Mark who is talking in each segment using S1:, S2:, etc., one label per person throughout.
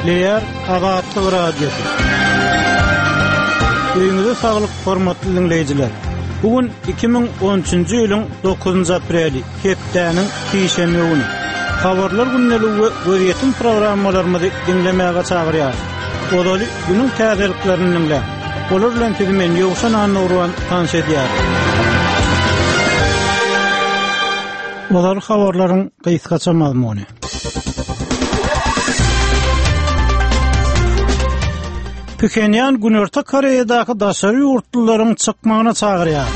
S1: Gepleýär Azatlyk Radiosy. Öýüňize saglyk, hormatly diňleýjiler. Bu gün 2013-nji ýylyň 9-njy apreli, hepdäniň sişenbe güni. Habarlar gündeligi we gözýetim programmalarymyzy diňlemäge çagyrýarys. Ozaly günüň täzeliklerini diňläň. Olar bilen sizi men Ýowşan Annagurban tanyş edýärin. Ozal habarlaryň gysgaça mazmuny. Phenýan Günorta Koreýadaky daşary ýurtlularyň çykmagyna çagyrýar.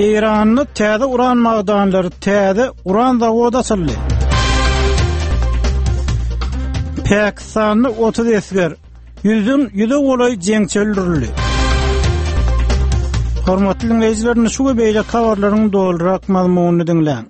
S1: Eýranda täze uran magdanlary, täze uran zawody açyldy. Pakistanda 30 esger, ýüzden ýüze golaý jeňçi öldürildi. Hormatly diňleýjiler, indi şu we beýleki habarlaryň dolurak mazmunyny diňläň.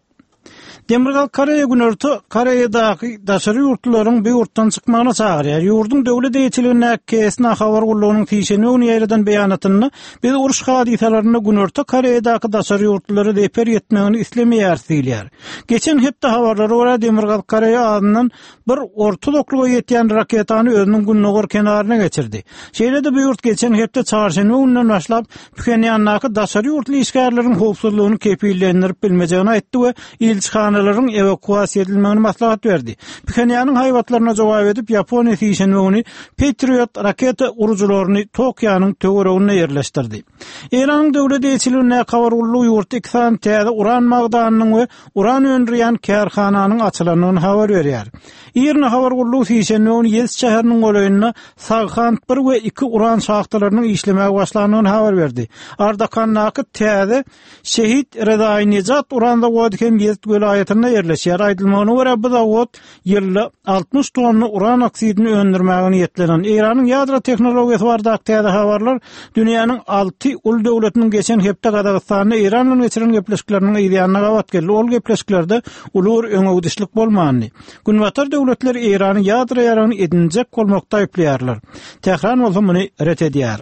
S1: Demirgazyk Koreýa Günorta Koreýadaky daşary ýurtlularyň bu ýurtdan çykmagyna çagyrýar. Ýurduň döwlet eýeçiligindäki KSNA habar gullugynyň sişenbe güni ýaýradan beýanatynda, Biz uruş hadysalarynda Günorta Koreýadaky daşary ýurtlulara zeper ýetmegini islemeýäris diýilýär. Geçen hepde habarlara görä, Demirgazyk Koreýa azyndan bir orta uzaklyga ýetýän raketany özüniň gündogar kenaryna geçirdi. Şeýle-de bu ýurt geçen hepde çarşenbe gününden başlap Phenýandaky daşary ýurtly işgärleriň howpsuzlygyny kepillendirip bilmejegini aýtdy we ilçihanalaryň ewakuasiýa edilmegini maslahat berdi. Phenýanyň haýbatlaryna jogap edip, Ýaponiýa sişenbe güni Patriot raketa urujylaryny Tokionyň töwereginde ýerleşdirdi. Eýranyň döwlet eýeçiligindäki habar gullugy ýurtda iki sany täze uran magdanynyň we uran öndürýän kärhananyň açylandygyny habar berýär. IRNA habar gullugy sişenbe güni Ýezd şäheriniň golaýynda Saghand bir we iki uran şahtalarynyň işlemäge başlandygyny habar berdi. Ardakandaky täze Şehit Rezaýinejat uran zawody hem Ýezd welaýatynda ýerleşýär. Aýdylmagyna görä, bu zawod ýylda 60 tonna uran oksidini öndürmäge niýetlenen. Eýranyň ýadro tehnologiýasy baradaky täze habarlar dünýäniň alty uly döwletiniň geçen hepde Gazagystanda Eýran bilen geçiren gepleşikleriniň yzýanyna gabat geldi. Ol gepleşiklerde uly bir öňegidişlik bolmandy. Günbatar döwletleri Eýrany ýadro ýaragyny edinjek bolmakda aýyplaýarlar. Tähran bolsa muny ret edýär.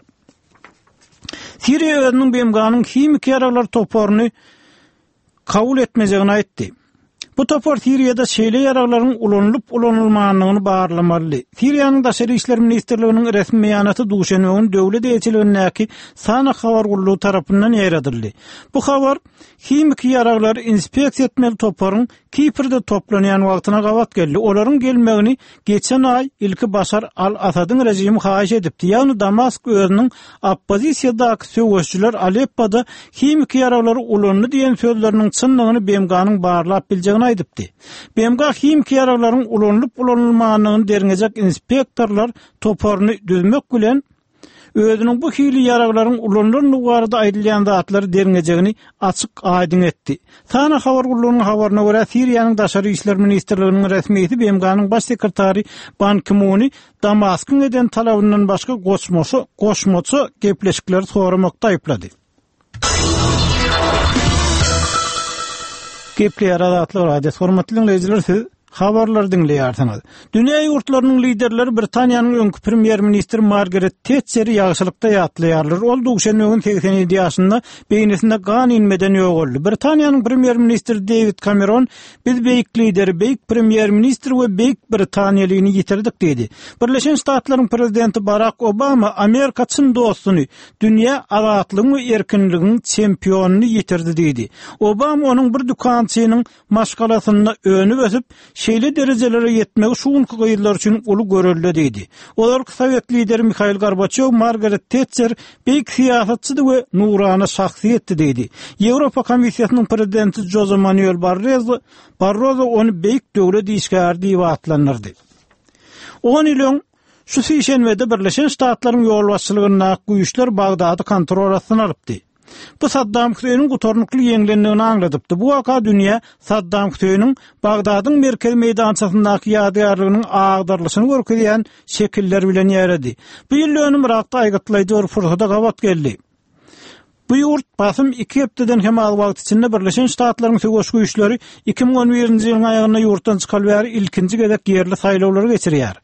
S1: Siriýa özüniň BMG-niň himiki ýaraglar toparyny kabul etmejegini aýtdy. Bu topar Siriýada şeýle ýaraglaryň ulanylyp-ulanylmandygyny barlamalydy. Siriýanyň Daşary işler ministrliginiň resmi beýanaty duşenbe güni döwlet eýeçiligindäki SANA habar gullugy tarapyndan ýaýradyldy. Bu habar himiki ýaraglary inspeksiýa etmeli toparyň Kiprde toplanýan wagtyna gabat geldi. Olaryň gelmegini geçen aý ilki Başar al-Asadyň režimi haýyş edipdi. Ýagny Damask özüniň oppozisiýadaky söweşijiler Aleppoda himiki ýaraglary ulandy diýen sözleriniň çyndygyny BMG-niň barlap biljegini aýdypdy. BMG himiki ýaraglaryň ulanylyp-ulanylmandygyny derňejek inspektorlar toparyny düzmek bilen, özüniň bu hili ýaraglaryň ulanylandygy barada aýdylýan zatlary derňejegini açyk-aýdyň etdi. SANA habar gullugynyň habaryna görä, Siriýanyň Daşary işler ministrliginiň resmisi BMG-niň Baş sekretary Ban Ki-muny Damaskyň eden talabyndan başga goşmaça goşmaça gepleşikleri soramakda aýyplady. Gepleýär Azatlyk Radiosy. Hormatly diňleýjiler, siz habarlary diňleýärsiňiz. Dünýä ýurtlarynyň liderleri Britaniýanyň öňki premýer-ministri Margaret Tetçeri ýagşylykda ýatlaýarlar. Ol duşenbe güni 87 ýaşynda beýnisinde gan inmeden ýogaldy. Britaniýanyň premýer-ministri Dewid Kameron Biz beýik lideri, beýik premýer-ministri we beýik britaniýalyny ýitirdik diýdi. Birleşen Ştatlaryň prezidenti Barak Obama Amerika çyn dostuny, dünýä azatlygyň we erkinligiň çempionyny ýitirdi diýdi. Obama onuň bir dükançynyň maşgalasynda önüp-ösüp, şeýle derejelere ýetmegi şu günki gyzlar üçin uly görelde diýdi. Ozalky sowet lideri Mihail Gorbaçýow Margaret Tetçer beýik syýasatçydy we nurana şahsyýetdi diýdi. Ýewropa Komissiýasynyň prezidenti Joze Manuel Barrozo Barrozo ony beýik döwlet işgäri diýip atlandyrdy. On ýyl öň, şu sişenbede Birleşen Ştatlaryň ýolbaşçylygyndaky güýçler Bagdady kontrol astyna alypdy. Bu Saddam Hüseýniň gutarnykly ýeňlendigini aňladypdy. Bu waka dünýä Saddam Hüseýniň Bagdadyň merkezi meýdançasyndaky ýadygärliginiň agdarylyşyny görkezýän şekiller bilen ýaýrady. Bu ýyl önüm Yrakda aýgytlaýjy bir pursada gabat geldi. Bu ýurt basym iki hepdeden hem az wagt içinde Birleşen Ştatlaryň söweş güýçleri 2011-nji ýylyň aýagynda ýurtdan çykaly bäri ilkinji gezek ýerli saýlawlary geçirýär.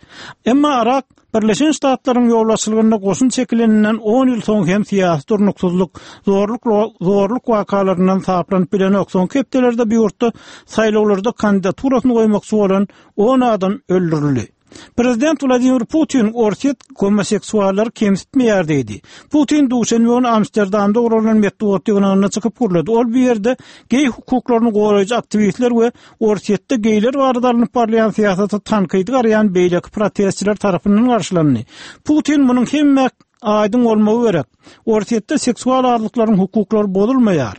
S1: Emma Yrak Birleşen Ştatlaryň ýolbaşçylygynda goşun çekileninden on ýyl soň hem syýasy durnuksyzlyk, zorluk zorluk wakalaryndan saplanyp bilenok. Soňky hepdelerde bu ýurtda saýlawlarda kandidaturasyny goýmakçy bolan on adam öldürildi. Prezident Wladimir Putin Orsýet gomoseksuallary kemsitmeýär diýdi. Putin duşenbe güni Amsterdamda guralan metbugat ýygnagynda çykyp gürledi. Ol bu ýerde geý hukuklaryny goraýjy aktiwistler we Orsýetde geýler barada alnyp barylýan syýasata tankydy garaýan beýleki protestçiler tarapyndan garşylandy. Putin munuň hemmä aýdyň bolmagy gerek. Orsýetde seksual azlyklaryň hukuklary bozulmaýar.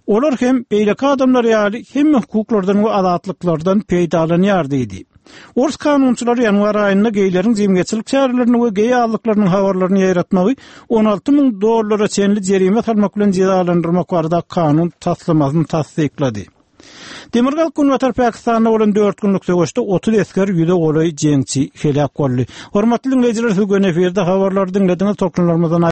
S1: Olar hem beýleki adamlar ýaly hemme hukuklardan we azatlyklardan peýdalanýar diýdi. Ors kanunçylary ýanwar aýynda geýleriň jemgyýetçilik çärelerini we geý azlyklarynyň habarlaryny ýaýratmagy 16 müň dollara çenli jerime salmak bilen jezalandyrmak barada kanun taslamasyny tassyklady. Demirgazyk-Günbatar Pakistanda bolan dört günlük söweşde 30 esger, ýüze golaý jeňçi heläk boldy. Hormatly diňleýjiler, siz göni efirde habarlary diňlediňiz. Tolkunlarymyzdan.